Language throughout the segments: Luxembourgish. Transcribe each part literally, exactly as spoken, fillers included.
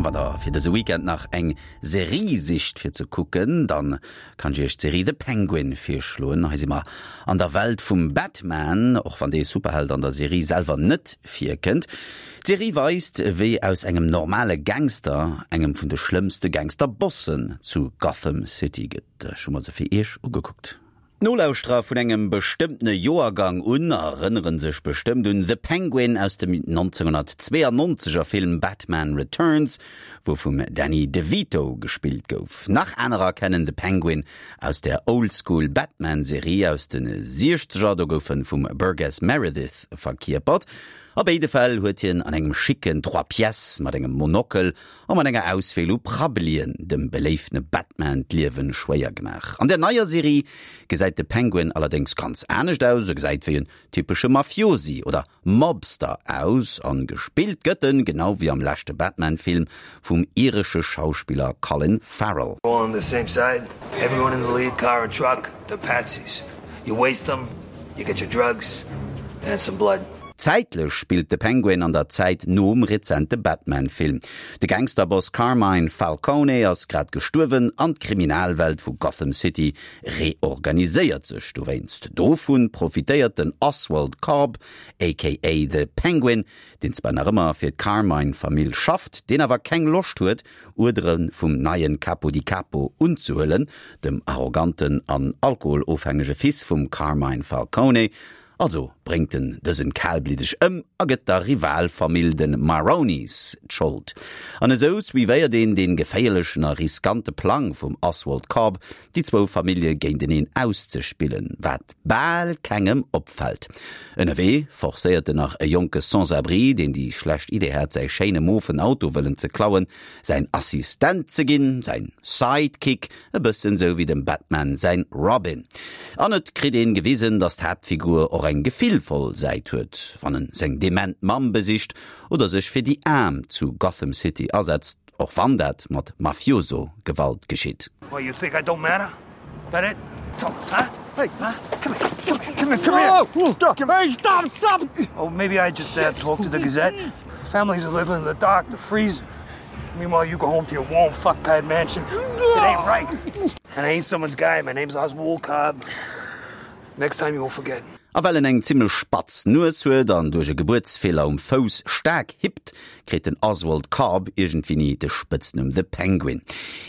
Wann der fir dëse Weekend nach eng Serie sicht fir ze kucken, dann kann ech iech d'Serie The Penguin virschloen. Hei si mer an der Welt vum Batman, och wann dee Superheld an der Serie selwer net virkënnt. D'Serie weist, wéi aus engem normale Gangster engem vun de schlëmmste Gangsterbossen zu Gotham City gëtt. Ech hu mer se fir iech ugekuckt. D'Nolauschterer vun engem bestëmmtene Joergang un erënnere sech bestëmmt un The Penguin aus dem neunzehnhundertzweeannonzeger Film Batman Returns, wou vum Danny DeVito gespillt gouf. Nach anerer kennen de Penguin aus der Oldschool Batman-Serie aus de Siechzeger, do gouf en vum Burgess Meredith verkierpert. A béide Fäll huet hien an engem schicken Trois pièces mat engem Monokel a mat enger Auswiel u Prabbelien dem beléiftene Batman d'Liewe schwéier gemaach. An der neier Serie gesäit de Penguin allerdéngs ganz anescht aus, e gesäit wéi en typesche Mafiosi oder Mobster aus an gespillt gëtt en, genau wéi am leschte Batman-Film, vum iresche Schauspiller Colin Farrell. All on the same side, everyone in the lead car and truck, they're patsies. You waste them, you get your drugs and some blood. Zäitlech spillt de Penguin an der Zäit nom rezente Batman-Film. De Gangsterboss Carmine Falcone ass grad gestuerwen an d'Kriminalwelt vu Gotham City reorganiséiert sech dowéinst. Dovun profitéiert den Oswald Cobb, aka The Penguin, deen zwar nach ëmmer fir d'Carmine-Famill schafft, deen awer keng Loscht huet, Uerdere vum neien Capo di Capo unzehuelen, dem arroganten an alkoholofhängege Fils vum Carmine Falcone. Also bréngt en dësen kalbliddeg ëm a gëtt der Rivalfamill de Maronis d'Schold. An esou suivéiert een dee geféierlechen a riskante Plang vum Oswald Cobb, déi zwou Famillje géinteneen auszespillen, wat bal kengem opfält. Ënnerwee forcéiert en nach e jonke Sans-abri, deen déi schlecht Idee hat, säi schéine mofen Auto wëllen ze klauen, säin Assistent ze ginn, säin Sidekick, e bëssen sou wéi dem Batman säin Robin. An et kritt een gewisen, datt d'Haaptfigur och eng gefillvoll Säit huet, wann en seng dement Mamm besicht oder sech fir déi Aarm zu Gotham City asetzt, och wann dat mat Mafioso-Gewalt geschitt. What, you think I don't matter? That it? So, huh? Hey, huh? Come here. Come here, come here. Whoa, come Hey, stop, stop! Oh, maybe I just uh, talk to the Gazette. Families are living in the dark, they're freezing. Meanwhile, you go home to your warm fuckpad mansion. It ain't right. And I ain't someone's guy. My name's Oswald Cobb. Next time you won't forget. A well en eng zimmlech spatz Nues huet an duerch e Gebuertsfeeler um Fouss staark hippt, kritt den Oswald Cobb iergendwéini de Spëtznumm The Penguin.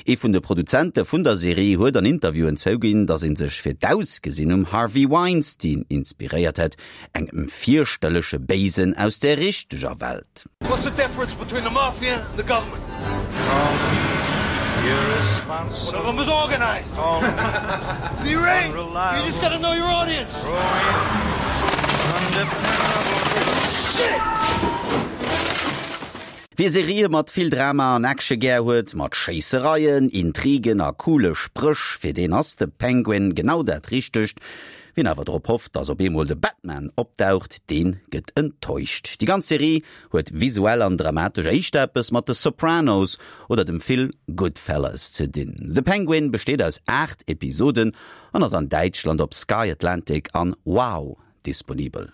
Ee vun de Produzente vun der Serie huet an Interviewen zouginn, datt ee sech fir d'Ausgesinn um Harvey Weinstein inspiréiert hätt, engem fierchterleche Béisen aus der richteger Welt. What's the difference between the mafia and the government? One of them is organized. See, Ray? You just gotta know your audience. Shit! Wie Serië mat vill Drama an Action gär huet, mat Schéissereien, Intrigen a coole Spréch, fir deen ass de Penguin genau dat Richtegt. Wien awer drop hofft, dass op eemol de Batman opdaucht, deen gëtt enttäuscht. Déi ganz Serie huet visuell an dramatesch éischter eppes mat de Sopranos oder dem Film Goodfellas ze dinn. The Penguin besteet aus aacht Episoden an ass an Däitschland op Sky Atlantic an Wow disponibel.